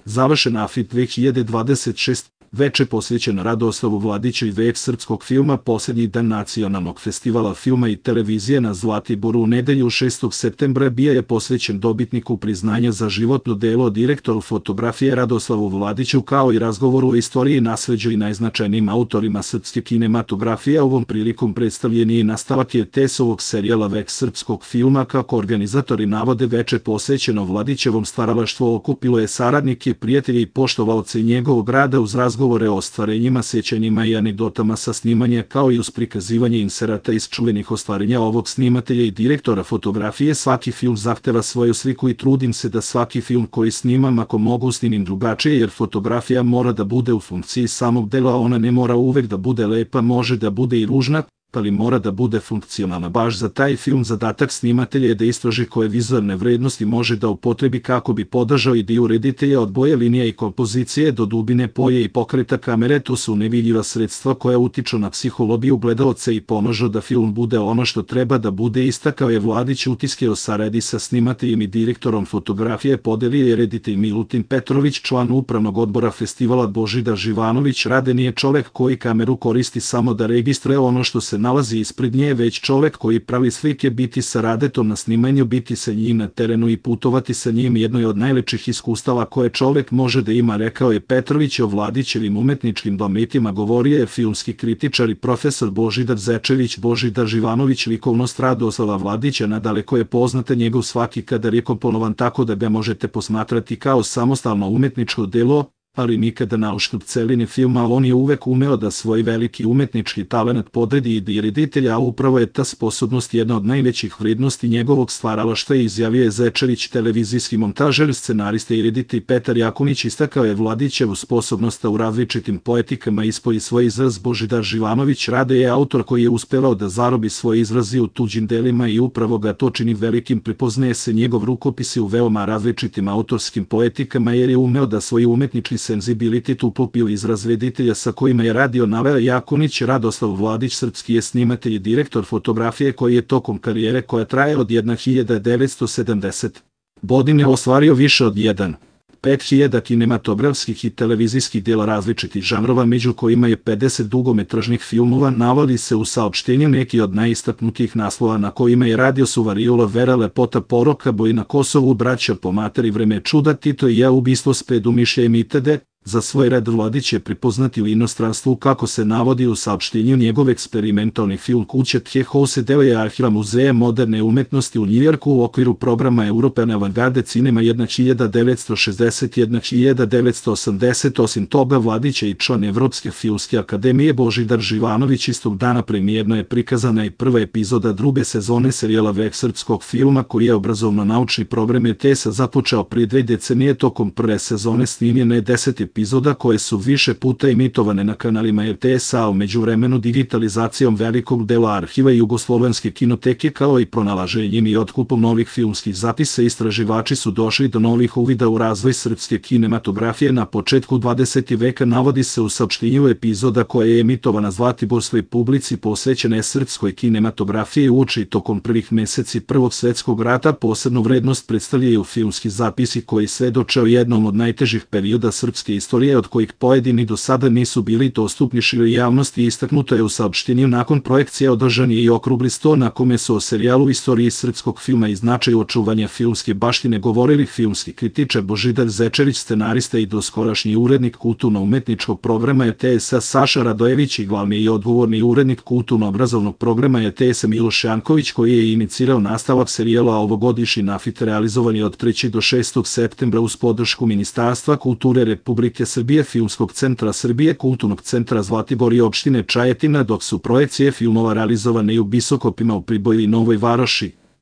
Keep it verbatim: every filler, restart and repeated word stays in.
Završen Afid dve hiljade dvadeset šeste. Veče posvećeno Radoslavu Vladiću i vek srpskog filma, posljednji dan Nacionalnog festivala filma i televizije na Zlatiboru u nedelju šestog septembra bio je posvećen dobitniku priznanja za životno delo, direktoru fotografije Radoslavu Vladiću, kao i razgovoru o istoriji, nasleđu i najznačajnijim autorima srpske kinematografije. Ovom prilikom predstavljen je i nastavak je te esovog serijala Vek srpskog filma. Kako organizatori navode, veče posvećeno Vladićevom stvaralaštvu okupilo je saradnike, prijatelje i poštovaoce njegovog rada uz razgovor govore o ostvarenjima, sjećanjima i anegdotama sa snimanja, kao i uz prikazivanje inserata iz čuvenih ostvarenja ovog snimatelja i direktora fotografije. Svaki film zahteva svoju sliku i trudim se da svaki film koji snimam, ako mogu, snimim drugačije, jer fotografija mora da bude u funkciji samog dela, ona ne mora uvek da bude lepa, može da bude i ružna, ali mora da bude funkcionalna. Baš za taj film zadatak snimatelja je da istraži koje vizualne vrednosti može da upotrebi kako bi podržao ideju reditelja, od boje linija i kompozicije do dubine poje i pokreta kamere. To su nevidljiva sredstva koja utiču na psihologiju gledaoca i pomažu da film bude ono što treba da bude, istakao je Vladić. Utiske o saradnji sa snimateljem i direktorom fotografije podelio je reditelj Milutin Petrović, član upravnog odbora festivala. Božidar Živanović Rade nije čovek koji kameru koristi samo da registruje ono što se nalazi ispred nje, već čovek koji pravi slike. Biti sa Radetom na snimanju, biti sa njim na terenu i putovati sa njim jedno je od najlepših iskustava koje čovek može da ima, rekao je Petrović. O Vladićevim umetničkim dometima govorio je filmski kritičar i profesor Božidar Zečević. Božidar Živanović likovnost Radoslava Vladića nadaleko je poznata, njegov svaki kadar je komponovan tako da ga možete posmatrati kao samostalno umetničko delo, ali nikada na uštrb celine filma. On je uvek umeo da svoj veliki umetnički talenat podredi i reditelja, a upravo je ta sposobnost jedna od najvećih vrednosti njegovog stvaralaštva, izjavio je Zečević. Televizijski montažer, scenarista i reditelj Petar Jakunić istakao je Vladićevu sposobnost u različitim poetikama ispoji svoj izraz. Božidar Živanović Rade je autor koji je uspevao da zarobi svoje izrazi u tuđim delima i upravo ga to čini velikim. Prepoznaje se njegov rukopis u veoma različitim autorskim poetikama, jer je umeo da svoj umetnički senzibilitet uklopio izraz reditelja sa kojima je radio, naveo Jakunić. Radoslav Vladić srpski je snimatelj i direktor fotografije koji je tokom karijere, koja traje od hiljadu devetsto sedamdesete. godine, ostvario više od jedan zarez pet hiljada kinematografskih i televizijskih dela različitih žanrova, među kojima je pedeset dugometražnih filmova. Navodi se u saopštenju neki od najistaknutijih naslova na kojima je radio su Variola, Vera, Lepota, Poroka, Boj na Kosovu, Braća po materi, Vreme čuda, Tito i ja, Ubistvo s predumišljajem itd. Za svoj rad Vladić je prepoznati u inostranstvu, kako se navodi u saopštenju. Njegov eksperimentalni film Kuća Tje House deo je arhiva Muzeja moderne umetnosti u Njujorku u okviru programa European Avantgarde Cinema hiljadu devetsto šezdeset do hiljadu devetsto osamdeset. Osim toga, Vladić je i član Evropske filmske akademije. Božidar Živanović istog dana premijerno je prikazana i prva epizoda druge sezone serijala Vek srpskog filma, koji je obrazovno-naučni program R T S-a započeo prije dve decenije. Tokom prve sezone snimljeno je deset epizoda koje su više puta emitovane na kanalima R T S-a, a u međuvremenu digitalizacijom velikog dela arhiva Jugoslovenske kinoteke, kao i pronalaženjem i otkupom novih filmskih zapisa, istraživači su došli do novih uvida u razvoj srpske kinematografije na početku dvadesetog veka. Navodi se u saopštenju epizoda koja je emitovana zlatiborskoj publici posvećena je srpskoj kinematografiji uoči tokom prvih meseci Prvog svetskog rata. Posebnu vrednost predstavljaju filmski zapisi koji svedoče o jednom od najtežih perioda srpske istorije, od kojih pojedini do sada nisu bili dostupni široj javnosti. Istaknuto je u saopštenju nakon projekcije održan je i okrugli sto na kome su o serijalu istoriji srpskog filma i značaju očuvanja filmske baštine govorili filmski kritičar Božidar Zečević, scenarista i doskorašnji urednik kulturno-umetničkog programa R T S-a Saša Radojević i glavni i odgovorni urednik kulturno-obrazovnog programa R T S-a Miloš Janković, koji je inicirao nastavak serijala. Ovogodišnji Nafit realizovan je od trećeg do šestog septembra uz podršku Ministarstva kulture Republike Srbije, Filmskog centra Srbije, Kulturnog centra Zlatibor i opštine Čajetina, dok su projekcije filmova realizovane i u Bisokopima, u Priboju i Novoj Varoši.